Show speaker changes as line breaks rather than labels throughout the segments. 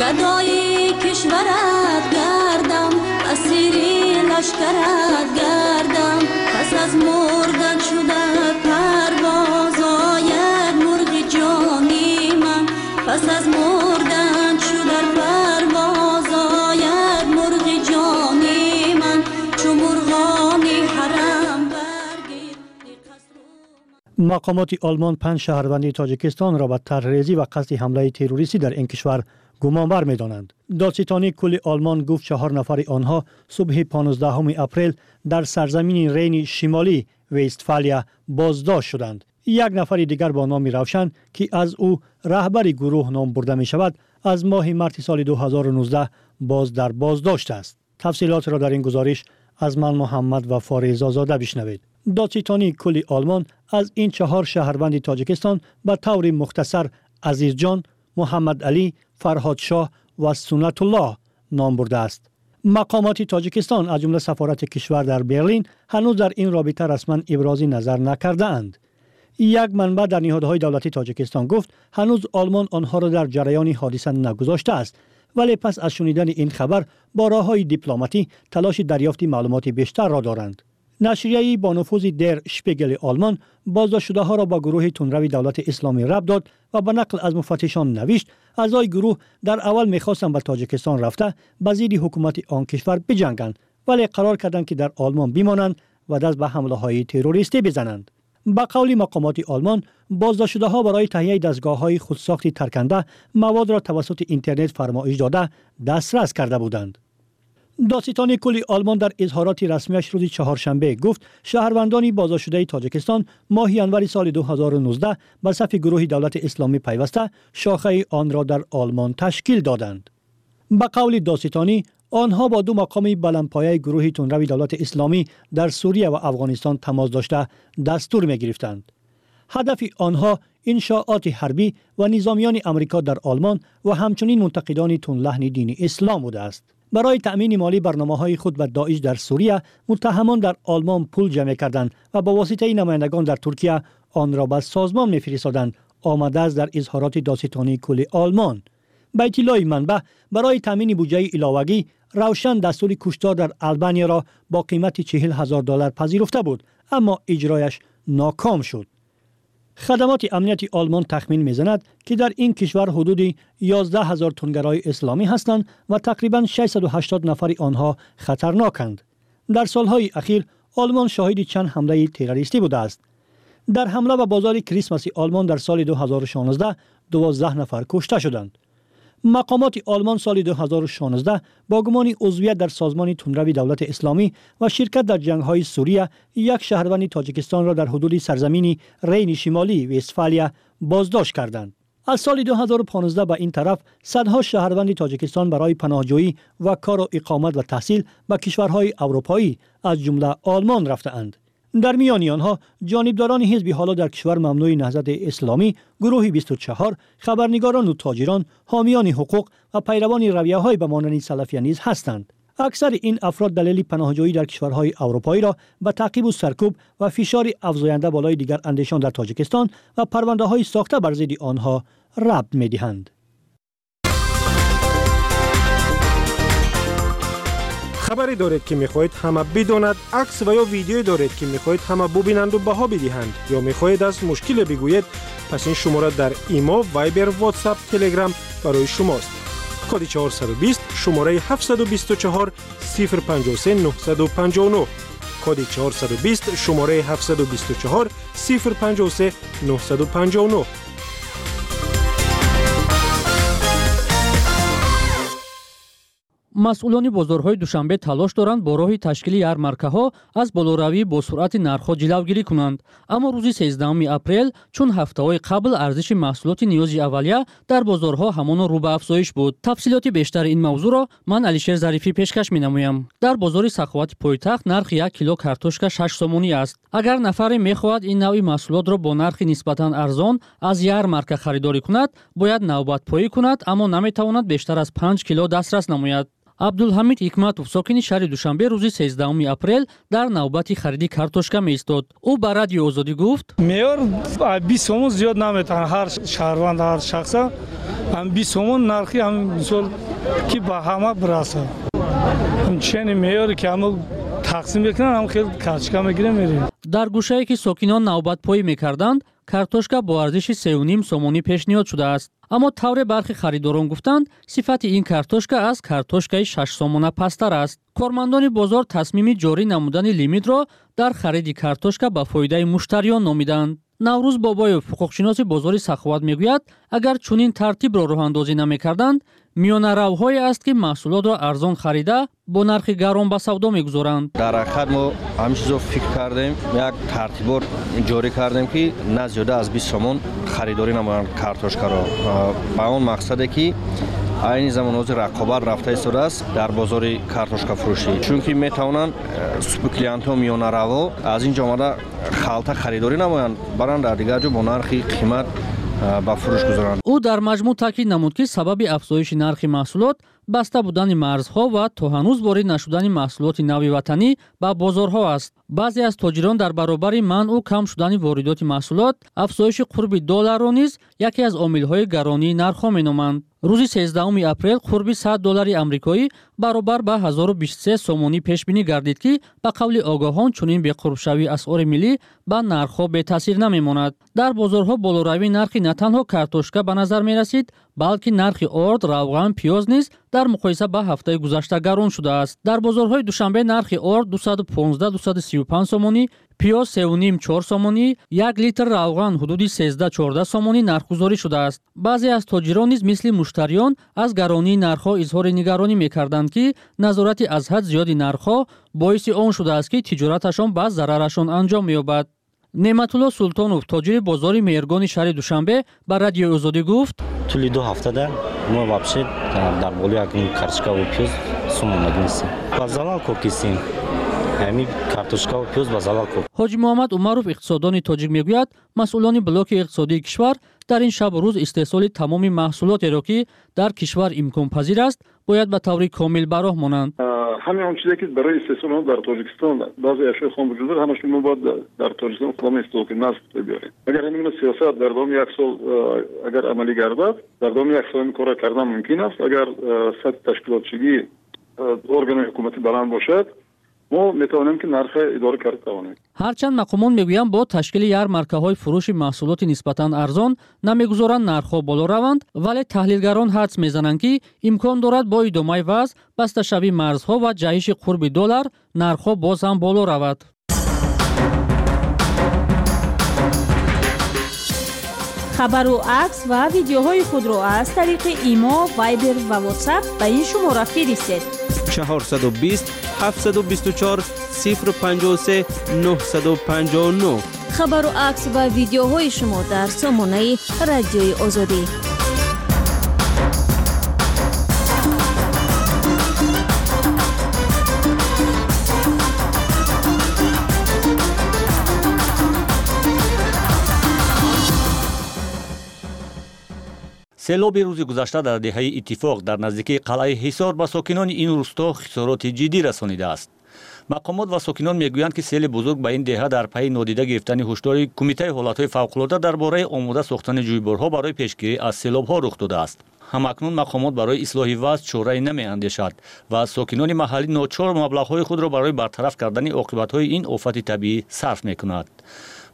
Гадои кишварат гардам, асири лашкарат гардам, пас аз мурдан чу дар парвоз ояд мурғи ҷони ман, пас аз мурдан чу дар парвоз ояд мурғи ҷони ман, чу мурғони ҳарам баргирди қасру.
Мақомоти Олмон 5 шаҳрванди Тоҷикистонро ба тарҳрезӣ ва қасди ҳамлаи террористӣ дар ин кишвар гумонбар медонанд. Додситонии кулли Олмон гуфт 4 нафари онҳо субҳи 15 апрел дар сарзамини Рейни Шимолӣ Вестфалия боздошт шуданд. Як нафари дигар бо номи Равшан, ки аз ӯ раҳбари гурӯҳ ном бурда мешавад, аз моҳи марти соли 2019 боз дар боздошт аст. Тафсилотро дар ин гузориш аз ман Муҳаммад Вафори Резозода бишнавед. Додситонии кулли Олмон аз ин 4 шаҳрванди Тоҷикистон ба таври мухтасар Азизҷон, Муҳаммад Алӣ, Фарҳодшоҳ ва Суннатуллоҳ ном бурдааст. Мақомоти Тоҷикистон аз ҷумла сафорати кишвар дар Берлин ҳанӯз дар ин робита расман ибрози назар накардаанд. Як манбаъ дар ниҳодҳои давлати Тоҷикистон гуфт ҳанӯз Олмон онҳоро дар ҷараёни ҳодиса нагузоштааст, вале пас аз шунидани ин хабар бо роҳҳои дипломатӣ талоши дарёфти маълумоти бештарро доранд. Нашрияи бо нуфузи Дер Шпигели Олмон боздоштшудаҳоро ба гурӯҳи тундрави давлати исломӣ рабт дод ва ба нақл аз муфаттишон навишт аъзои гурӯҳ дар аввал мехостанд ба Тоҷикистон рафта ба зидди ҳукумати он кишвар биҷанганд, вале қарор карданд ки дар Олмон бимонанд ва даст ба ҳамлаҳои террористӣ бизананд. Ба қавли мақомоти Олмон боздоштшудаҳо барои таҳияи дастгоҳҳои худсохти тарканда маводро тавассути интернет фармоиш дода дастрас карда буданд. Додситони кулли Олмон дар изҳороти расмияш рӯзи чаҳоршанбе гуфт шаҳрвандони боздоштшудаи Тоҷикистон моҳи январи соли 2019 ба сафи гурӯҳи давлати исломӣ пайваста шохаи онро дар Олмон ташкил доданд. Ба қавли додситонӣ онҳо бо 2 мақоми баландпояи гурӯҳи тундрави давлати исломӣ дар Сурия ва Афғонистон тамос дошта дастур мегирифтанд. Ҳадафи онҳо иншооти ҳарбӣ ва низомиёни Амрико дар Олмон ва ҳамчунин мунтақидони тундлаҳни дини ислом будааст. Барои таъмини молии барномаҳои худ ба Доиш дар Сурия муттаҳамон дар Олмон пул ҷамъ мекарданд ва ба воситаи намояндагон дар Туркия онро ба созмон мефиристоданд, омадааст дар изҳороти додситонии кулли Олмон. Ба иттилои манбаъ барои таъмини буҷаи иловагӣ Равшан дастури куштор дар Албанияро бо қимати $40,000 пазируфта буд, аммо иҷрояш ноком шуд. Хадамоти амнияти Олмон тахмин мезанад, ки дар ин кишвар ҳудуди 11,000 тунгарои исломӣ ҳастанд ва тақрибан 680 нафари онҳо хатарноканд. Дар солҳои ахир Олмон шоҳиди чанд ҳамлаи террористӣ будааст. Дар ҳамла ба бозори Крисмаси Олмон дар соли 2016 12 нафар кушта шуданд. Мақомоти Олмон соли 2016 бо гумони узвият дар созмони тундрави давлати исломӣ ва ширкат дар ҷангҳои Сурия як шаҳрванди Тоҷикистонро дар ҳудуди сарзамини Рейни Шимолӣ Вестфалия боздошт карданд. Аз соли 2015 ба ин тараф садҳо шаҳрванди Тоҷикистон барои паноҳҷӯӣ ва кору иқомат ва таҳсил ба кишварҳои аврупоӣ аз ҷумла Олмон рафтаанд. Дар миёни онҳо ҷонибдорони ҳизби ҳоло дар кишвар мамнӯи наҳзати исломӣ, гурӯҳи 24, хабарнигорону тоҷирон, ҳомиёни ҳуқуқ ва пайравони равияҳои ба монанди салафия низ ҳастанд. Аксари ин афрод далели паноҳҷӯӣ дар кишварҳои аврупоиро ба таъқибу саркӯб ва фишори афзоянда болои дигар андешон дар Тоҷикистон ва парвандаҳои сохта бар зидди онҳо рабт медиҳанд.
Хабаре доред, ки мехоҳед ҳама бидонад, акс ва ё видеое доред, ки мехоҳед ҳама бубинанду баҳо бидиҳанд, ё мехоҳед аз мушкиле бигӯед, пас ин шумора дар Имо, Вайбер, Ватсап, Телеграм барои шумост. Коди 420, шумораи 724 053 959. Коди 420, шумораи 724 053 959.
Масъулони бозорҳои Душанбе талош доранд бо роҳи ташкили ярмаркаҳо аз болоравӣ бо суръати нархҳо ҷилавгирӣ кунанд. Аммо рӯзи 13 апрел, чун ҳафтаҳои қабл арзиши маҳсулоти ниёзи аввалия дар бозорҳо ҳамоно рӯ ба афзоиш буд. Тафсилоти бештари ин мавзӯъро ман Алишер Зарифӣ пешкаш менамоям. Дар бозори Саховати пойтахт нархи 1 кило картошка 6 сомонӣ аст. Агар нафаре мехоҳад ин навъи маҳсулотро бо нархи нисбатан арзон аз ярмарка харидорӣ кунад, бояд навбатпоӣ кунад, аммо наметавонад бештар аз 5 кило дастрас намояд. Абдулҳамид Ҳикматов, сокини шаҳри Душанбе, рӯзи 13 апрел дар навбати хариди картошка меистод. Ӯ ба Радиои Озодӣ гуфт:
меъёр 20 сомон зиёд наметавонад ҳар шаҳрванд, ҳар шахса. Ҳам 20 сомон нархи ҳам мисол ки ба ҳама бирасад. Чени меъёре ки ҳама тақсим мекунанд, ҳам хел картошка мегирем мерем.
Дар гӯшае ки сокинон навбатпоӣ мекарданд, картошка бо арзиши 3,5 сомонӣ пешниҳод шудааст. Аммо тавре бархи харидорон гуфтанд, сифати ин картошка аз картошкаи 6 сомона пасттар аст. Кормандони бозор тасмими ҷорӣ намудани лимитро дар хариди картошка ба фоидаи муштариён номиданд. Наврӯз Бобоев, ҳуқуқшиноси бозори Саховат, мегӯяд, агар чунин тартибро роҳандозӣ намекарданд, миёнаравҳое аст ки маҳсулотро арзон харида бо нархи гарон ба савдо мегузоранд.
Дар ҳақиқат мо ҳамин чизро фикр кардем, як тартибот ҷорӣ кардем, ки на зиёда аз 20 сомон харидорӣ намоянд картошкаро, ба он мақсаде ки айни замон ҳозир рақобат рафта истодааст дар бозори картошкафурӯшӣ, чунки метавонанд супклиентҳо, миёнаравҳо аз ин ҷо омада халта харидорӣ намоянд, баранд дар дигар ҷо бо нархи қимат ба фурӯш гузоранд.
Ӯ дар маҷмӯъ таъкид намуд, ки сабаби афзоиши нархи маҳсулот баста будани марзҳо ва то ҳанӯз ворид нашудани маҳсулоти нави ватанӣ ба бозорҳо аст. Баъзе аз тоҷирон дар баробари манъу кам шудани воридоти маҳсулот, афзоиши қурби долларро низ яке аз омилҳои гаронии нархҳо меноманд. Рӯзи 13 апрел қурби 100 доллари амрикоӣ баробар ба 1023 сомонӣ пешбинӣ гардид, ки ба қавли огоҳон чунин беқурбшавии асъори миллӣ ба нархҳо бетаъсир намемонад. Дар бозорҳо болоравии нархи на танҳо картошка ба назар мерасид, балки нархи орд, равған, пиёз низ дар муқоиса ба ҳафтаи гузашта гарон шудааст. Дар бозорҳои Душанбе нархи орд 215-235 сомонӣ, пиёз 3,5-4 сомонӣ, 1 литр равған ҳудуди 13-14 сомонӣ нархгузорӣ шудааст. Баъзе аз тоҷирон низ мисли муштариён аз гаронии нархҳо изҳори нигаронӣ мекарданд, ки назорати аз ҳад зиёди нархҳо боиси он шудааст, ки тиҷораташон ба зарарашон анҷом меёбад. Неъматулло Султонов, тоҷири бозори Меҳргони шаҳри Душанбе, ба Радиои Озодӣ гуфт:
тӯли 2 ҳафтада мо вообще дар болои як картошкаву пиёз сум омада нестем. Ба залал кор кистем. Ҳамин картошкаву пиёз ба залал кор.
Ҳоҷи Муҳаммад Умаров, иқтисоддони тоҷик, мегӯяд, масъулони блоки иқтисодии кишвар дар ин шабу рӯз истеҳсоли тамоми маҳсулотеро, ки дар кишвар имконпазир аст, бояд ба таври комил ба роҳ монанд.
Ҳамин он чизе ки барои истеҳсоли он дар Тоҷикистон баъзе ашёи хом вуҷуд дорад, ҳамашро мо бояд дар Тоҷикистон худамон истеҳсол кунем, на аз Хитой биёрем. Агар ҳамин гуна сиёсат дар давоми як сол агар амалӣ гардад, дар давоми як сол ин корро кардан мумкин аст. Агар сатҳи ташкилотчигии органи ҳукуматӣ баланд бошад, мо метавонем ки нархро идора карда тавонем.
Ҳарчанд мақомон мегӯянд, бо ташкили ярмаркаҳои фурӯши маҳсулоти нисбатан арзон намегузоранд нархҳо боло раванд, вале таҳлилгарон ҳадс мезананд, ки имкон дорад бо идомаи вазъ, басташавии марзҳо ва ҷаҳиши қурби доллар нархҳо боз ҳам боло равад.
Хабару акс ва видеоҳои худро аз тариқи Имо, Вайбер ва Ватсап ба ин шумора фиристед:
420 724 053 959.
Хабару акс ва видеоҳои шумо дар сомонаи Радиои Озодӣ.
Селоби рӯзи гузашта дар деҳаи Иттифоқ дар наздикии қалъаи Ҳисор ба сокинони ин рӯсто хисороти ҷиддӣ расонидааст. Мақомот ва сокинон мегӯянд, ки сели бузург ба ин деҳа дар пайи нодида гирифтани ҳушдори Кумитаи ҳолатҳои фавқулода дар бораи омода сохтани ҷӯйборҳо барои пешгирӣ аз селобҳо рух додааст. Ҳамакнун мақомот барои ислоҳи вазъ чорае намеандешад ва сокинони маҳаллӣ ночор маблағҳои худро барои бартараф кардани оқибатҳои ин офати табиӣ сарф мекунад.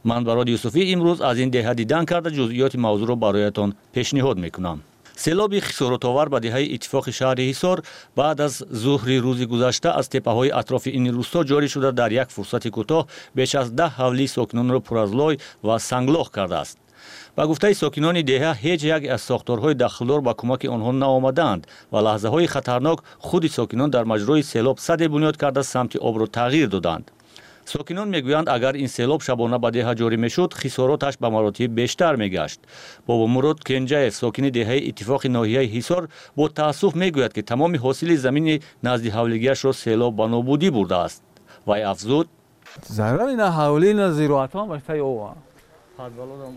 Ман Барод Юсуфӣ имрӯз аз ин деҳа дидан карда ҷузъиёти мавзӯъро бароятон пешниҳод мекунам. Селоби хисоротовар ба деҳаи Иттифоқи шаҳри Ҳисор баъд аз зуҳри рӯзи гузашта аз теппаҳои атрофи ин рӯсто ҷорӣ шуда, дар як фурсати кӯтоҳ беш аз 10 ҳавлии сокинонро пур аз лой ва санглоҳ кардааст. Ба гуфтаи сокинони деҳа, ҳеҷ як аз сохторҳои дахлдор ба кӯмаки онҳо наомадаанд ва лаҳзаҳои хатарнок худи сокинон дар маҷрои селоб саде бунёд карда самти обро тағйир доданд. Сокинон мегӯянд, агар ин селоб шабона ба деҳа ҷорӣ мешуд, хисороташ ба маротиб бештар мегашт. Бобомурод Кенҷаев, сокини деҳаи Иттифоқи ноҳияи Ҳисор, бо таассуф мегӯяд, ки тамоми ҳосили замини назди ҳавлигиашро селоб ба нобудӣ бурдааст. Вай афзуд:
зарари на ҳавлӣ, на зироатҳо баштаи ова.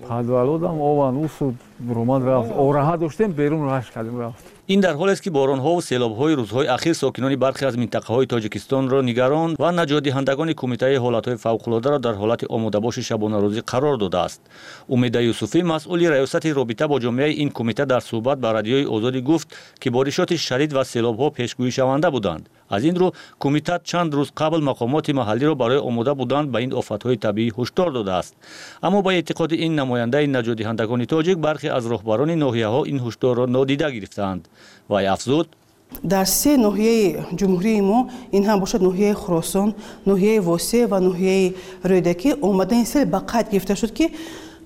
Подвалодам ован усуд ромад рафт. Ораҳа доштем, берун раш кардем, рафт.
Ин дар ҳолест, ки боронҳову селобҳои рӯзҳои ахир сокинони бархе аз минтақаҳои Тоҷикистонро нигарон ва наҷотдиҳандагони Кумитаи ҳолатҳои фавқулодаро дар ҳолати омодабоши шабонарӯзӣ қарор додааст. Умеда Юсуфӣ, масъули раёсати робита бо ҷомеаи ин кумита, дар суҳбат ба Радиои Озодӣ гуфт, ки боришоти шадид ва селобҳо пешгӯишаванда буданд. Аз ин рӯ кумита чанд рӯз қабл мақомоти маҳаллиро барои омода будан ба ин офатҳои табиӣ ҳушдор додааст. Аммо ба эътиқоди ин намояндаи наҷотдиҳандагони тоҷик, бархе аз роҳбарони ноҳияҳо ин ҳушдорро нодида гирифтаанд. Вай афзуд:
дар се ноҳияи ҷумҳурии мо, ин ҳам бошад ноҳияи Хуросон, ноҳияи Восеъ ва ноҳияи Рӯдакӣ, омадани сел ба қайд гирифта шуд, ки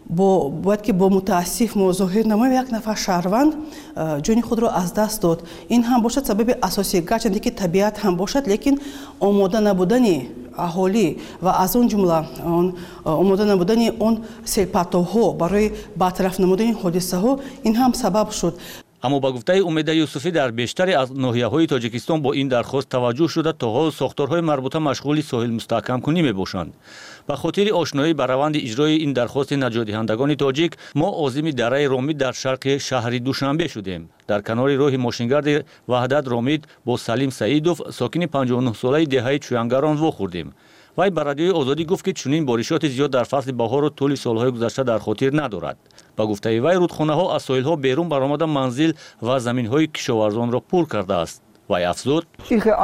бояд ки бо мутаассиф мо зоҳир намоем, як нафар шаҳрванд ҷони худро аз даст дод. Ин ҳам бошад сабаби асосӣ, гарчанде ки табиат ҳам бошад, лекин омода набудани аҳолӣ ва аз он ҷумла омода набудани он селпартовҳо барои бартараф намудани ҳодисаҳо, ин ҳам сабаб шуд.
Аммо ба гуфтаи Умеда Юсуфӣ, дар бештаре аз ноҳияҳои Тоҷикистон бо ин дархост таваҷҷӯҳ шуда, то ҳол сохторҳои марбута машғули соҳилмустаҳкамкунӣ мебошанд. Ба хотири ошноӣ ба раванди иҷрои ин дархости наҷотдиҳандагони тоҷик, мо озими дараи Ромид дар шарқи шаҳри Душанбе шудем. Дар канори роҳи мошингарди Ваҳдат Ромид бо Салим Саидов, сокини 59-солаи деҳаи Чӯянгарон, вохӯрдем. Вай ба Радиои Озодӣ гуфт, ки чунин боришоти зиёд дар фасли баҳору тӯли солҳои гузашта дар хотир надорад. Ба гуфтаи вай, рудхонаҳо аз соҳилҳо берун баромада, манзил ва заминҳои кишоварзонро пур кардааст. Вай афзуд: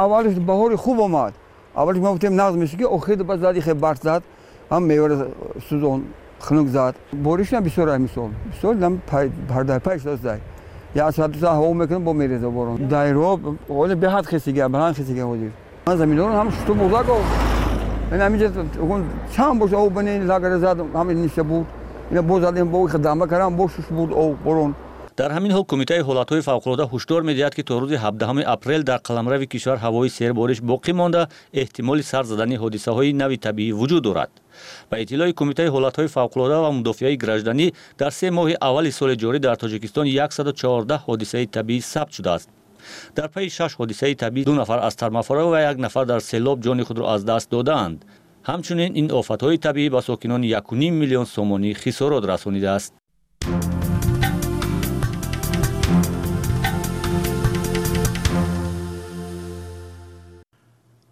аввалиш баҳори хуб омад, аввалиш мо гуфтем нағз меши, ки охир ба зад ихе барф зад, ҳам мевара сӯзон, хунук зад. Боришам бисёр, мисол бисёр пардай шудааст. Як соат ду соат ҳаво мекунам, бо мереза борон. Дайро ҳоле беҳад хесига, баланд хесига. Ҳозир ман заминҳоро ҳам шусту бурда. Ин ҳаминҷа чанд бош об бани лагара зад, ҳамин ниша буд. Ина боз задем, бо дама кардам, бо шуш буд об борон.
Дар ҳамин ҳол Кумитаи ҳолатҳои фавқулода ҳушдор медиҳад, ки то рӯзи 17 апрел дар қаламрави кишвар ҳавои сербориш боқӣ монда, эҳтимоли сар задани ҳодисаҳои нави табиӣ вуҷуд дорад. Ба иттилои Кумитаи ҳолатҳои фавқулода ва мудофиаи гражданӣ, дар 3 моҳи аввали соли ҷорӣ дар Тоҷикистон 114 ҳодисаи табиӣ сабт шудааст. Дар пайи 6 ҳодисаи табиӣ 2 нафар аз тармафора ва 1 нафар дар селоб ҷони худро аз даст додаанд. Ҳамчунин ин офатҳои табиӣ ба сокинони 1,5 миллион сомонӣ хисорот расонидааст.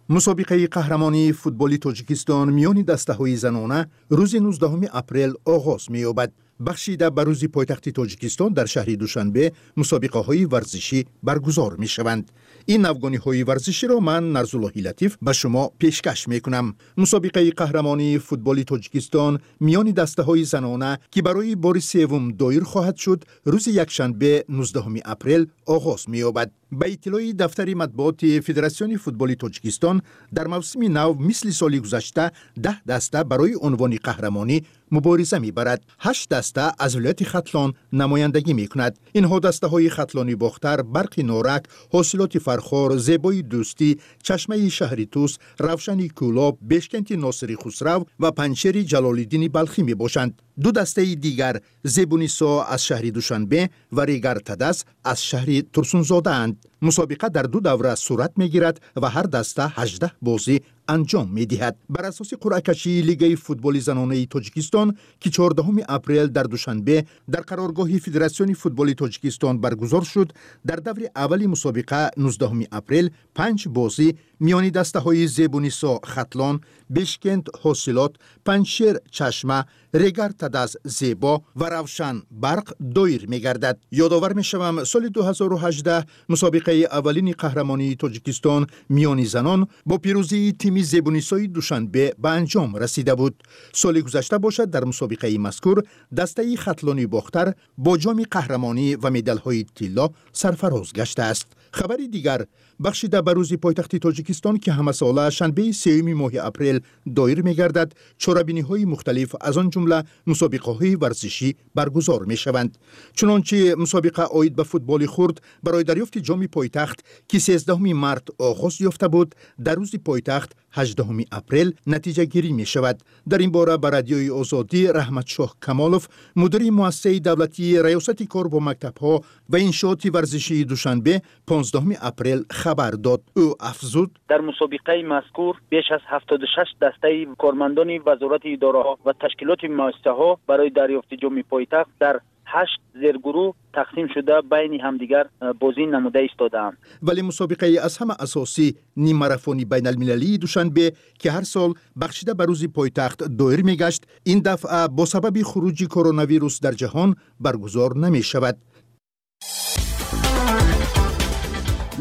Мусобиқаи қаҳрамонии футболи Тоҷикистон миёни дастаҳои занона рӯзи 19 апрел оғоз меёбад. Бахшида ба рӯзи пойтахти Тоҷикистон дар шаҳри Душанбе мусобиқаҳои варзишӣ баргузор мешаванд. Ин навгониҳои варзиширо ман, Нарзуллоҳи Латиф, ба шумо пешкаш мекунам. Мусобиқаи қаҳрамонии футболи Тоҷикистон миёни дастаҳои занона, ки барои бори севум доир хоҳад шуд, рӯзи якшанбе 19 апрел оғоз меёбад. Ба иттилои дафтари матбуоти Федератсиони футболи Тоҷикистон, дар мавсими нав мисли соли гузашта 10 даста барои унвони қаҳрамонӣ мубориза мебарад. 8 даста аз вилояти Хатлон намояндагӣ мекунад. Инҳо дастаҳои Хатлони Бохтар, Барқи Норак, Ҳосилоти Фархор, Зебои Дӯстӣ, Чашмаи шаҳри Тус, Равшани Кӯлоб, Бешкенти Носири Хусрав ва Панҷшери Ҷалолиддини Балхӣ мебошанд. Ду дастаи дигар Зебунисо аз шаҳри Душанбе ва Регар Тадас аз шаҳри Турсунзодаанд. Мусобиқа дар ду давра сурат мегирад ва ҳар даста 18 бозӣ анҷом медиҳад. Бар асоси қуръакашии Лигаи футболи занонаи Тоҷикистон, ки 14 апрел дар Душанбе дар қароргоҳи Федератсиони футболи Тоҷикистон баргузор шуд, дар даври аввали мусобиқа 19 апрел 5 бозӣ миёни дастаҳои Зебунисо Хатлон, Бешкент Ҳосилот, Панҷшер Чашма, Регар Тадас Зебо ва Равшан Барқ доир мегардад. Ёдовар мешавам, соли 2018 мусобиқаи аввалини қаҳрамонии Тоҷикистон миёни занон бо пирӯзии тими Зебунисои Душанбе ба анҷом расида буд. Соли гузашта бошад, дар мусобиқаи мазкур дастаи Хатлони Бохтар бо ҷоми қаҳрамонӣ ва медалҳои тилло сарфароз гаштааст. Хабари дигар, бахшида ба рӯзи пойтахти Тоҷикистон, ки ҳамасола шанбеи 3 моҳи апрел доир мегардад, чорабиниҳои мухталиф, аз он ҷумла мусобиқаҳои варзишӣ баргузор мешаванд. Чунончи мусобиқа оид ба футболи хурд барои дарёфти ҷоми пойтахт, ки 13 март оғоз ёфта буд, дар рӯзи пойтахт 18 апрел натиҷагирӣ мешавад. Дар ин бора ба Радиои Озодӣ Раҳматшоҳ Камолов, мудири муассисаи давлатии Раёсати кор бо мактабҳо ва иншооти варзишии Душанбе, 15 апрел хабар дод. Ӯ афзуд:
Дар мусобиқаи мазкур беш аз 76 дастаи кормандони вазорати идораҳо ва ташкилоти муассисаҳо барои дарёфти ҷоми пойтахт дар 8 зергурӯҳ тақсим шуда байни ҳамдигар бозӣ намуда истодаанд.
Вале мусобиқаи аз ҳама асосӣ, ниммарафони байналмилалии Душанбе, ки ҳар сол бахшида ба рӯзи пойтахт доир мегашт, ин дафъа бо сабаби хуруҷи коронавирус дар ҷаҳон баргузор намешавад.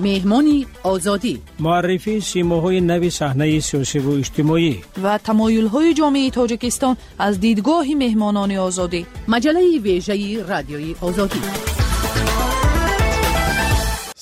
Меҳмони Озодӣ.
Муаррифии симоҳои нави саҳнаи сиёсиву иҷтимоӣ
ва тамоюлҳои ҷомеаи Тоҷикистон аз дидгоҳи меҳмонони Озодӣ. Маҷаллаи вежаи Радиои Озодӣ.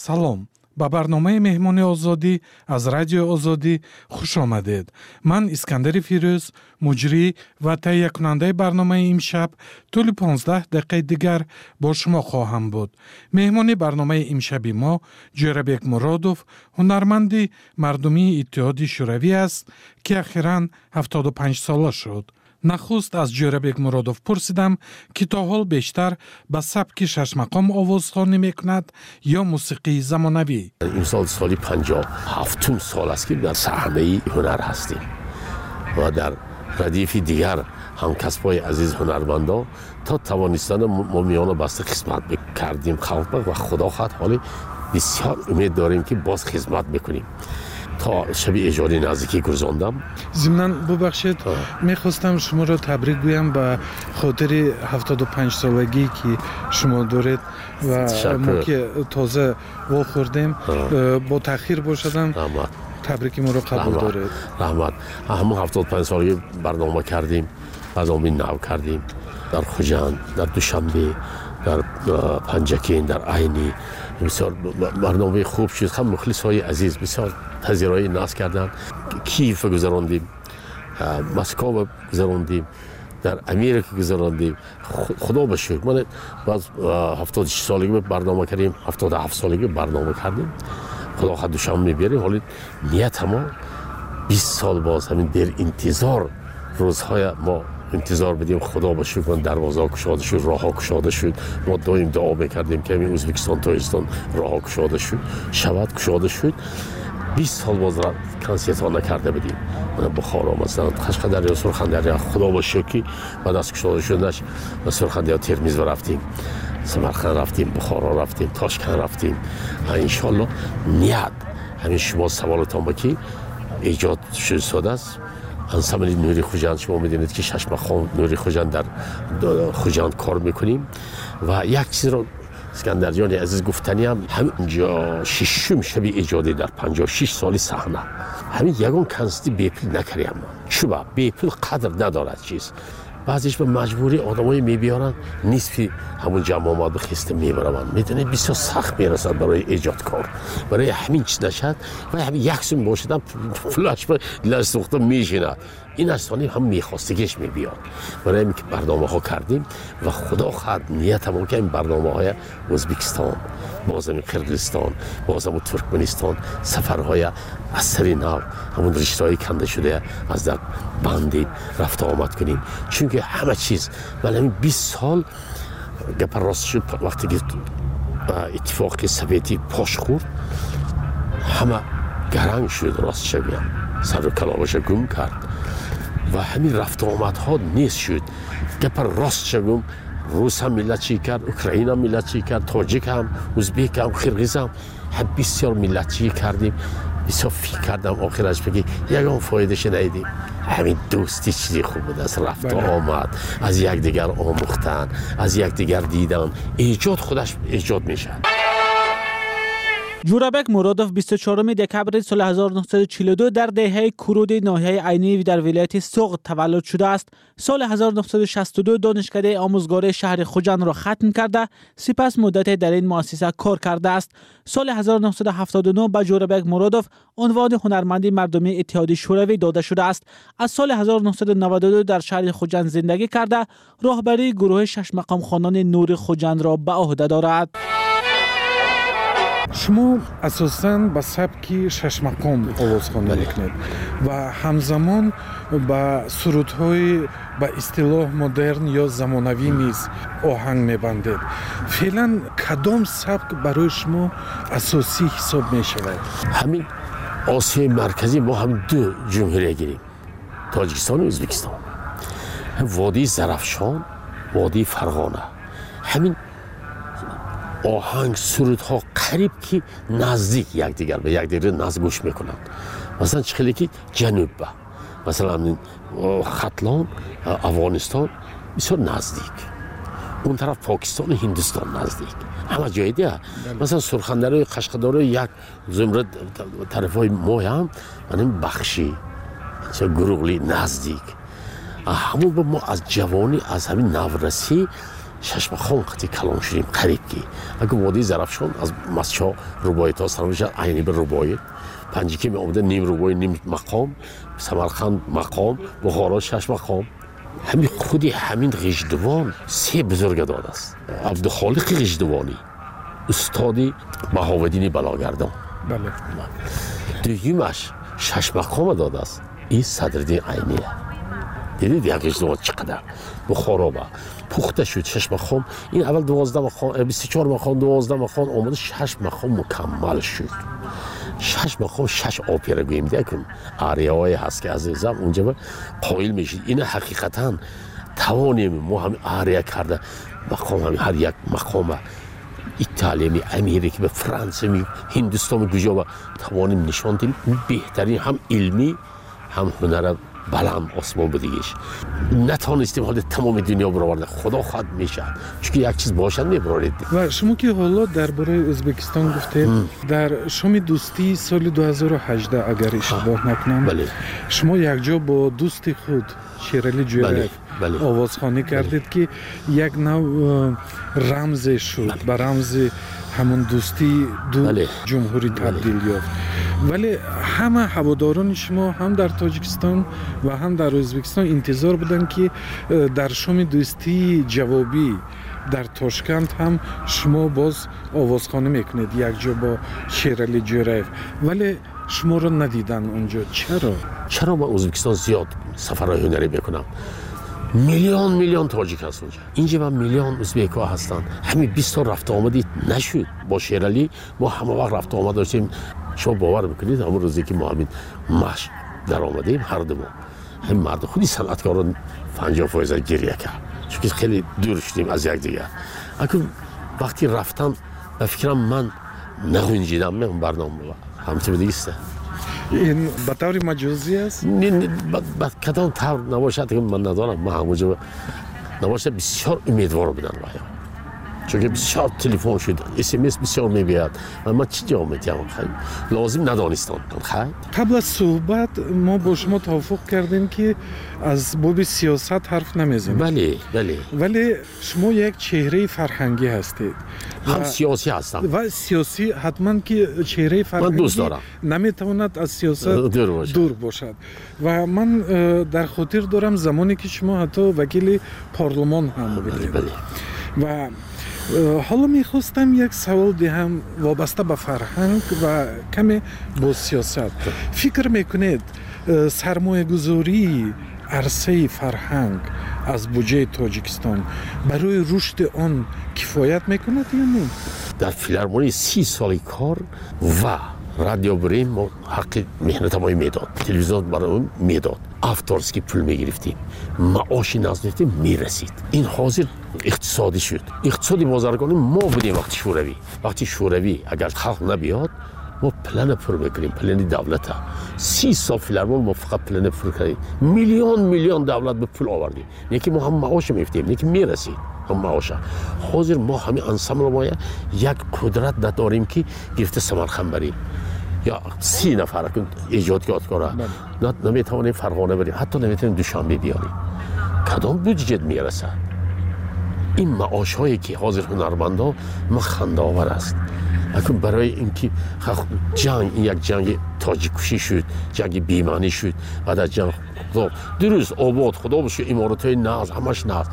Салом, ба барномаи Меҳмони Озодӣ аз Радиои Озодӣ хуш омадед. Ман Искандари Фирӯз, муҷрӣ ва таҳиякунандаи барномаи имшаб, тӯли 15 дақиқаи дигар бо шумо хоҳам буд. Меҳмони барномаи имшаби мо Ҷӯрабек Муродов, ҳунарманди мардумии Иттиҳоди Шӯравӣ аст, ки ахиран 75 сола шуд. Нахуст аз Ҷӯрабек Муродов пурсидам, ки то ҳол бештар ба сабки шашмақом овозхонӣ мекунад ё мусиқии замонавӣ.
Имсол соли 57-ум сол аст, ки дар саҳнаи ҳунар ҳастем ва дар радифи дигар ҳамкасбҳои азиз ҳунармандон то тавонистана мо миёна баста хизмат кардем халқ ва худо хоҳад, ҳоле бисёр умед дорем, ки боз хизмат мекунем. То шаби эҷодӣ наздикӣ гузондам.
Зимнан, бубахшед, мехостам шуморо табрик гӯям ба хотири 75 солагӣ, ки шумо доред, ва мо ки тоза вохӯрдем, бо таъхир бошадам, табрики моро қабул доред.
Раҳмат. Ҳамон 75 солагӣ барнома кардем, барномаи нав кардем дар Хуҷанд, дар Душанбе, дар Панҷакент, дар Айнӣ. Бисёр барномаи хуб шуд. Ҳам мухлисҳои азиз бисёр тазираҳои насб карданд. Киев гузарондем, Москва гузарондем, дар Америка гузарондем. Худо ба шукр, ман баъд 76 солагӣ барнома кардем, 77 солагӣ барнома кардем. Худо хоҳад, Душанбе мебарем. Ҳоли ният ҳамо 20 сол боз ҳамин дер интизор рӯзҳоя мо интизор будем. Худо ба шукр, дарвозаҳо кушода шуд, роҳҳо кушода шуд. Мо доим дуо мекардем, ки ҳамин Ӯзбекистон, Тоҷикистон роҳҳо кушода шуд шавад. Кушода шуд. 20 сол боз консертҳо накарда будем. Мана Бухоро, масалан, Қашқадарё, Сурхандарё. Худо ба шукр, ки баъд аз кушода шуданаш ба Сурхандарё, Термиз рафтем, Самарқанд рафтем, Бухоро рафтем, Тошканд рафтем. Иншоалло, ният ҳамин шумо саволатон ба ки эҷод шудааст ансамбли Нури Хуҷанд. Шумо медонед, ки шашмақом Нури Хуҷанд дар Хуҷанд кор мекунем. Ва як чизро, Искандарҷони азиз, гуфтаниам: ҳаминҷо шишум шаби эҷодӣ дар 56 соли саҳна ҳамин ягон консерти бепул накардам. Чуба бепул қадр надорад чиз. Баъзеш ба маҷбурӣ одамое мебиёранд, нисфи ҳамун ҷамъ омаду хеста мебараванд. Медонед, бисёр сахт мерасад барои эҷодкор. Барои ҳамин чиз нашад ва ҳамин як сум бошадам, пулаш дилаш сӯхта мешинад. Ин аз сони ҳам мехостагиш мебиёд. Барои ҳамин ки барномаҳо кардем ва худо хоҳад, ниятамон ки ин барномаҳоя Ӯзбекистон, боз ҳамин Қирғизистон, боз ҳамун Туркманистон сафарҳоя аз сари нав, ҳамун риштаҳои канда шуда аз дар бандем, рафта омад кунем. Чунки ҳама чиз ман ҳамин 20 сол, гапа рост шуд, вақте ки Иттифоқи Советӣ пош хӯрд, ҳама гаранг шуд, ростша гӯям, сару каломаша гум кард ва ҳамин рафтуомадҳо нест шуд. Гапа ростша гум, рус ҳам миллатчӣ кард, украина миллатчӣ кард, тоҷик ҳам, узбек ҳам, қирғиз ҳам, бисёр миллатчӣ кардем. Бисёр фикр кардам, охираш бигӣ ягон фоидаша надидем. Ҳамин дӯстӣ чизи хуб будааст, рафту омад, аз якдигар омӯхтан, аз якдигар дидан, эҷод худаш эҷод мешавад.
Ҷӯрабек Муродов 24 декабри соли 1942 дар деҳаи Куруди ноҳияи Айнӣ дар вилояти Суғд таваллуд шудааст. Соли 1962 донишкадаи омӯзгории шаҳри Хуҷандро хатм карда, сипас муддате дар ин муассиса кор кардааст. Соли 1979 ба Ҷӯрабек Муродов унвони ҳунарманди мардумии Иттиҳоди Шӯравӣ дода шудааст. Аз соли 1992 дар шаҳри Хуҷанд зиндагӣ карда, роҳбарии гурӯҳи шашмақомхонони Нури Хуҷандро ба ӯҳда дорад.
Шумо асосан ба сабки шашмақом овозхонӣ мекунед ва ҳамзамон ба сурудҳои ба истилоҳ модерн ё замонавӣ низ оҳанг мебандед. Феълан кадом сабк барои шумо асосӣ ҳисоб мешавад?
Ҳамин Осиёи Марказӣ мо ҳам ду ҷумҳурия гирем, Тоҷикистону Ӯзбекистон. Водии Зарафшон, водии Фарғона, ҳамин оҳанг, сурудҳо қариб ки наздик якдигар, ба якдигар назд гӯш мекунанд. Масалан, чӣ хеле ки ҷанубба, масалан, Хатлон, Афғонистон бисёр наздик, он тараф Покистону Ҳиндустон наздик, ҳама ҷое дия. Масалан, Сурхандарои, Қашқадарои як зумра тарафҳои моям, манин Бахшӣ, Гуруғлӣ наздик. Ҳамон мо аз ҷавонӣ, аз ҳамин наврасӣ шашмақом қати калон шудем қариб ки. Агар водии Зарафшон аз Масчо рубоитҳо сар мешавад, айни ба рубоит, Панҷикӣ меомада ним рубои, ним мақом, Самарқанд мақом, Бухоро шашмақом. Ҳамин худи ҳамин Ғиждувон се бузурга додааст. Абдухолиқи Ғиждувонӣ, устоди Баҳовиддини Балогардон. Дуюмаш шашмақома додааст, ин Садриддин Айния. Дидед як Ғиждувон чӣ қадар Бухороба пухта шуд шашмақом. Ин аввал 12 мақом, 24 мақом, 12 мақом омада шаш мақом мукаммал шуд. Шаш мақом, шаш опера гӯем декун арияҳое ҳаст ки азизам унҷа қоил мешид. Ина ҳақиқатан тавонем мо ҳами ария карда мақом, ҳами ҳар як мақома Италиями, Америка, Франсиями, Ҳиндустони куҷоба тавонем нишон диҳем. Беҳтарин ҳам илмӣ ҳам ҳунара баланд осмон будигиш. Натонистем ҳоло тамоми дунё бароварда, худо хоҳад мешавад, чунки як чиз бошад мебароред.
Ва шумо ки ҳоло дар бораи Ӯзбекистон гуфтед, дар шоми дӯстии соли 2018, агар иштибоҳ накунам, шумо якҷо бо дӯсти худ Шерали Ҷӯраев овозхонӣ кардед, ки як нав рамзе шуд, ба рамзи ҳамон дӯстии ду ҷумҳурӣ табдил ёфт. Вале ҳама ҳаводорони шумо ҳам дар Тоҷикистон ва ҳам дар Ӯзбекистон интизор буданд, ки дар шоми дӯстии ҷавобӣ дар Тошканд ҳам шумо боз овозхонӣ мекунед якҷо бо Шерали Ҷӯраев, вале шуморо надиданд онҷо. Чаро?
Чаро ман Ӯзбекистон зиёд сафарҳои ҳунарӣ мекунам? Миллион миллион тоҷик ҳаст онҷа, инҷа ва миллион ӯзбекҳо ҳастанд. Ҳамин 20 сол рафта омадӣ нашуд. Бо Шералӣ мо ҳама вақт рафта омад доштем. Шумо бовар мекунед, ҳамон рӯзе ки мо ҳамин машқ даромадем, ҳар ду мо, ҳамин марду худи санъаткорон 50% гиря кард, чунки хеле дур шудем аз якдигар. Акун вақти рафтан ба фикрам ман нағунҷидам ман барнома ҳамчун дигиста.
Ин ба таври маҷозӣ аст?
Ба кадом тавр набошад, ман надонам. Ман ҳамонҷо набошад, бисёр умедвор будам ваё, чунки бисёр телефон шуд, смс бисёр мебиёд ва ман чӣ ҷавоб медиҳам? Лозим надонистам.
Қабл аз суҳбат мо бо шумо тавофуқ кардем, ки аз боби сиёсат ҳарф намезанем.
Бале, бале.
Вале шумо як чеҳраи фарҳангӣ ҳастед.
Ҳам сиёсӣ ҳастам.
Ва сиёсӣ ҳатман, ки чеҳраи фарҳангӣ наметавонад аз сиёсат дур бошад. Ва ман дар хотир дорам замоне ки шумо ҳатто вакили парлумон ҳам будед. Ва ҳоло мехостам як савол диҳам вобаста ба фарҳанг ва каме бо сиёсат. Фикр мекунед, сармоягузории арсаи фарҳанг аз буҷаи Тоҷикистон барои рушди он кифоят мекунад ё не?
Дар филармонии 30 соли кор ва радио бурем, мо ҳаққи меҳнатамои медод, телевизион барои медод, авторский пул мегирифтем, маоши назд мегирифтем, мерасид. Ин ҳозир иқтисодӣ шуд. Иқтисоди бозаргонӣ мо будем вақти шӯравӣ. Вақти шӯравӣ агар халқ набиёд, мо плана пур мекунем, плани давлата. 30 сол филармон мо фақат плана пур кардем, миллион миллион давлат ба пул овардем, не ки мо ҳам маоша мегирифтем, не ки мерасид ҳам маоша. Ҳозир мо ҳамин ансамбл моя як қудрат надорем, ки гирифта Самарқанд барем ё 30 нафар эҷодкора наметавонем Фарғона барем, ҳатто наметавонем Душанбе биёрем. Кадом буҷет мерасад? Ин маошҳое ки ҳозир ҳунармандо, ма хандаовар аст. Акун барои инки ҷанг, ин як ҷанги тоҷиккушӣ шуд, ҷанги бемаънӣ шуд. Баъд аз ҷанг дуруст обод, худо бошад, иморатҳои нағз, ҳамаш нағз,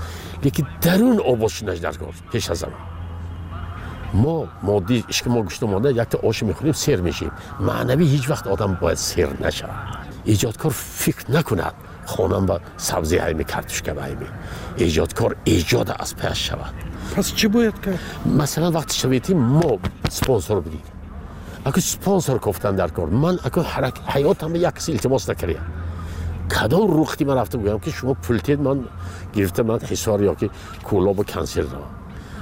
лекин дарун обод шудаш дар кор пеш аз ҳама. Мо моддӣ ишки мо гушта монда, якта ош мехӯрем, сер мешем. Маънавӣ ҳеҷ вақт одам бояд сер нашавад. Эҷодкор фикр накунад хонам ба сабзи ҳайми, картошка ба ҳайми. Эҷодкор эҷода аз паяш шавад.
Пас чӣ бояд кард?
Масалан, вақти шаветӣ мо спонсор будем. Аку спонсор кофтан дар кор. Ман аку ҳаётам як каси илтимос накардам. Кадом рухти ман рафта гӯям, ки шумо пул тед, ман гирифта ман Ҳисор ё ки Кӯлобу консерт равам.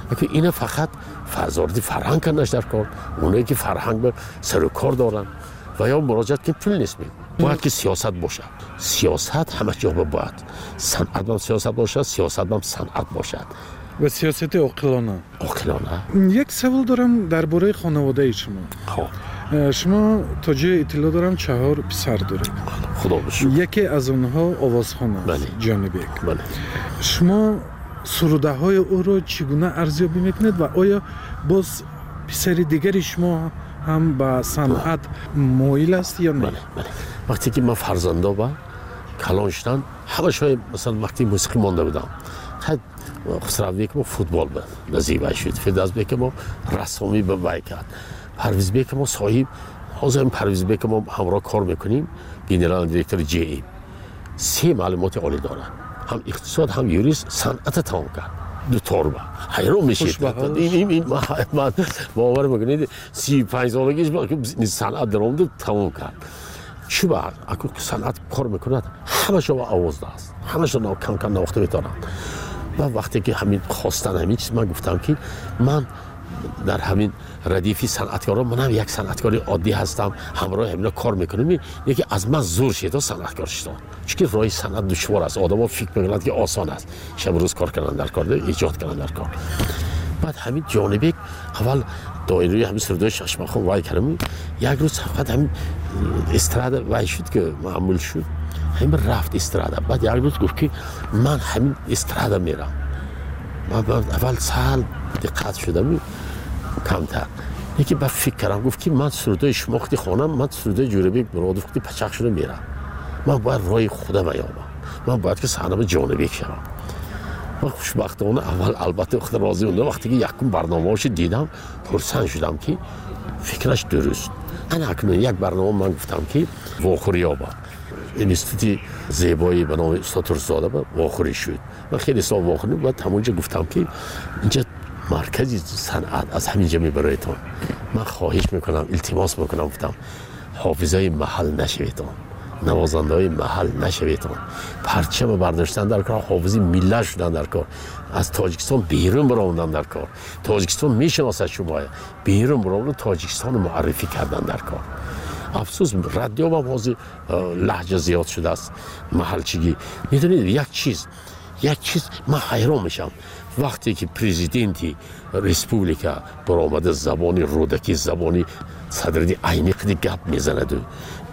Аку ина фақат вазорати фарҳанг карданаш дар кор, оное ки фарҳанг ба сару кор доранд ва ё муроҷиат ки пул нест мегӯ. Бояд ки сиёсат бошад. Сиёсат ҳама ҷо бояд. Санъат ҳам сиёсат бошад, сиёсат ҳам санъат бошад.
Ва сиёсати оқилона.
Оқилона.
Як савол дорам дар бораи хонаводаи шумо.
Хоб.
Шумо то ҷое иттилоъ дорам 4 писар доред.
Худо бошур.
Яке аз онҳо овозхон аст, Ҷонибек.
Бале.
Шумо сурудаҳои ӯро чӣ гуна арзёбӣ мекунед ва оё боз писари дигари шумо ҳам ба санъат моил аст ё не?
Бале, бале. Вақте ки ман фарзандо ба калон шуданд, ҳамашои масалан вақти мусиқӣ монда будам. Хай Хусравбек мо футбол ба назибай шуд, Фирдавсбек мо рассомӣ ба вай кард. Парвизбек мо соҳиб, ҳозир Парвизбек мо ҳамроҳ кор мекунем, генерал директори ЖИ. 3 маълумоти олӣ дорад. Ҳам иқтисод, ҳам юрист, санъата тамом кард. Ду торба. Ҳайрон мешид. Ман бовар мекунед, 35 солагиш санъат даромад, тамом кард. Чӣ бар? Аку санъат кор мекунад, ҳамаша овозда аст. Ҳамаша кам-кам навохта метавонанд. Ва вақте ки ҳамин хостан ҳамин чиз, ман гуфтам ки ман дар ҳамин радифи санъаткорон, манам як санъаткори оддӣ ҳастам, ҳамроҳи ҳамино кор мекунем, яке аз ман зур шедо санъаткор шудам. Чунки роҳи санъат душвор аст. Одамо фикр мекунанд ки осон аст. Шаб рӯз кор кардан дар кор, эҷод кардан дар кор. Баъд ҳамин Ҷонибек аввал доираи ҳамин сурудои Шашмахон вай кардам. Як рӯз фақат ҳамин эстрада вай шуд ки маъмул шуд. Ҳамин рафт эстрада. Баъд як рӯз гуфт ки ман ҳамин эстрада мерам. Ман аввал сал диққат шудам камтар. Яке ба фикр кардам, гуфт ки ман сурудои шумо хати хонам, ман сурудои Ҷӯрабек Муродов хати пачақ шуда мерам. Ман бояд роҳи худам ёбам. Ман бояд ки саҳнама Ҷонибек шавам. Ман хушбахтона аввал албатта худ розӣ будам. Вақте ки якум барномаҳошо дидам, хурсанд шудам ки фикраш дуруст. Ана акнун як барнома ман гуфтам ки вохӯрӣ ёбам. Институти зебоӣ ба номи устод Турсунзода ба вохӯрӣ шуд. Ман хеле сол вохӯрӣ, баъд ҳамонҷо гуфтам ки инҷа маркази санъат аз ҳамин ҷо мебароятон. Ман хоҳиш мекунам, илтимос мекунам, гуфтам ҳофизаи маҳал нашаведон, навозандаҳои маҳал нашаведон, парчама бардоштан дар кор, ҳофизи миллат шудан дар кор, аз Тоҷикистон берун баромадан дар кор. Тоҷикистон мешиносад шумоя, берун баромадан, Тоҷикистонро муаррифӣ кардан дар кор. Афсӯс, радио ҳам ҳозир лаҳҷа зиёд шудааст, маҳалчигӣ. Медонед, як чиз ман ҳайрон мешавам. Вақте ки президенти республика баромада забони Рӯдакӣ, забони Садриддин Айнӣ қади гап мезанаду,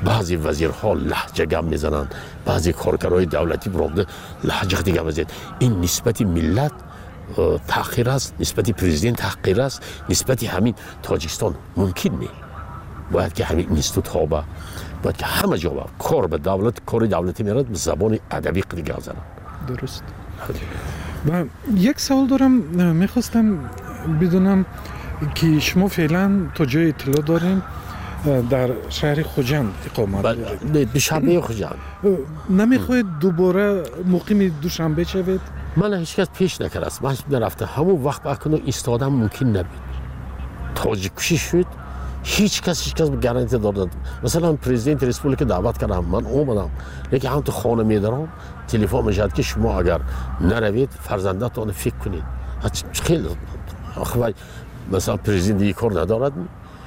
баъзе вазирҳо лаҳҷа гап мезананд, баъзе коргарои давлатӣ баромада лаҳҷа қади гап мезананд. Ин нисбати миллат таъхир аст, нисбати президент таҳқир аст, нисбати ҳамин Тоҷикистон мумкин не. Бояд ки ҳамин институтҳо ба, бояд ки ҳама ҷо ба кор ба давлат, кори давлатӣ мерад, забони адабӣ қади гап зананд.
Дуруст. Ва як савол дорам, мехостам бидонам ки шумо феълан то ҷое иттилоъ дорем дар шаҳри Хуҷанд иқомат доред.
Душанбе Хуҷанд.
Намехоҳед дубора муқими Душанбе шавед?
Ман ҳеҷ кас пеш накардааст. Ман нарафтам. Ҳамон вақт акнун истодам мумкин набуд. Тоҷиккушӣ шуд. Ҳеҷ кас гарантия дод. Масалан, президенти республика даъват кардам, ман омадам. Лекин ҳам ту хона медарам, телефон мешавад ки шумо агар наравед, фарзандатонро фикр кунед. Хеле масалан президент ин кор надорад.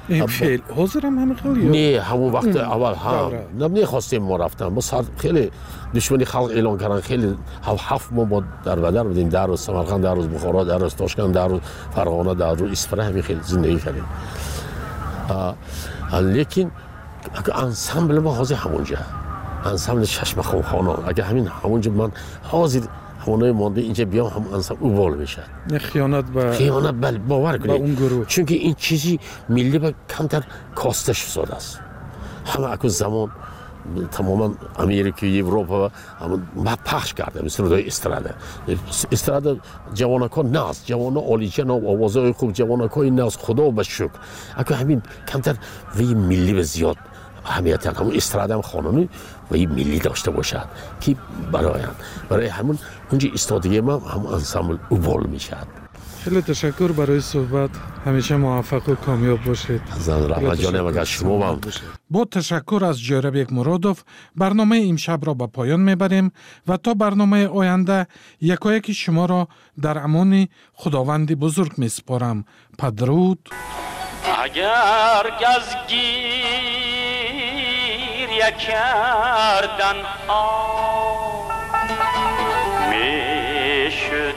Феъл ҳозир ҳам ҳамин хел ё?
Не, ҳамон вақт аввал ҳам намехостем мо рафтан. Мо хеле душмани халқ эълон карданд, хеле 7 моҳ мо дар бадар будем, 10 рӯз Самарқанд, 10 рӯз Бухоро, 10 рӯз Тошканд, 10 рӯз Фарғона, 10 рӯз Исфара, ҳамин хеле зиндагӣ кардем. Лекин ансамбл мо ҳозир ҳамонҷа, ансамбли Шашмақомхонон. Агар ҳамин ҳамонҷа ман ҳозир ҳамонои монда инҷа биём, ҳам ансамбл убол мешавад.
Хиёнат ба
хиёнат, бале, бовар кунед. Чунки ин чизи миллӣ ба камтар коста шудааст. Ҳама аку замон Тамоман Америка, Европа пахш кардем сурудҳои эстрада. Эстрада ҷавонакҳо нағз, ҷавоно олиҷаноб, овозҳои хуб, ҷавонакҳои нағз, худо ба шукр. Аку ҳамин камтар ваи миллӣ ба зиёд аҳамият, ҳамун эстрадаам хонану ваи миллӣ дошта бошад, ки бароянд. Барои ҳамун унҷа истодагии ман ҳамун ансамбл убол мешавад.
Хеле ташаккур барои суҳбат. Ҳамеша муваффақу комёб бошед.
Раҳматҷонам, агар шумо ҳам.
Бо ташаккур аз Ҷӯрабек Муродов барномаи имшабро ба поён мебарем ва то барномаи оянда якояки шуморо дар амони Худованди бузург месупорам. Падруд.
Агар газ гиря кардан мешуд.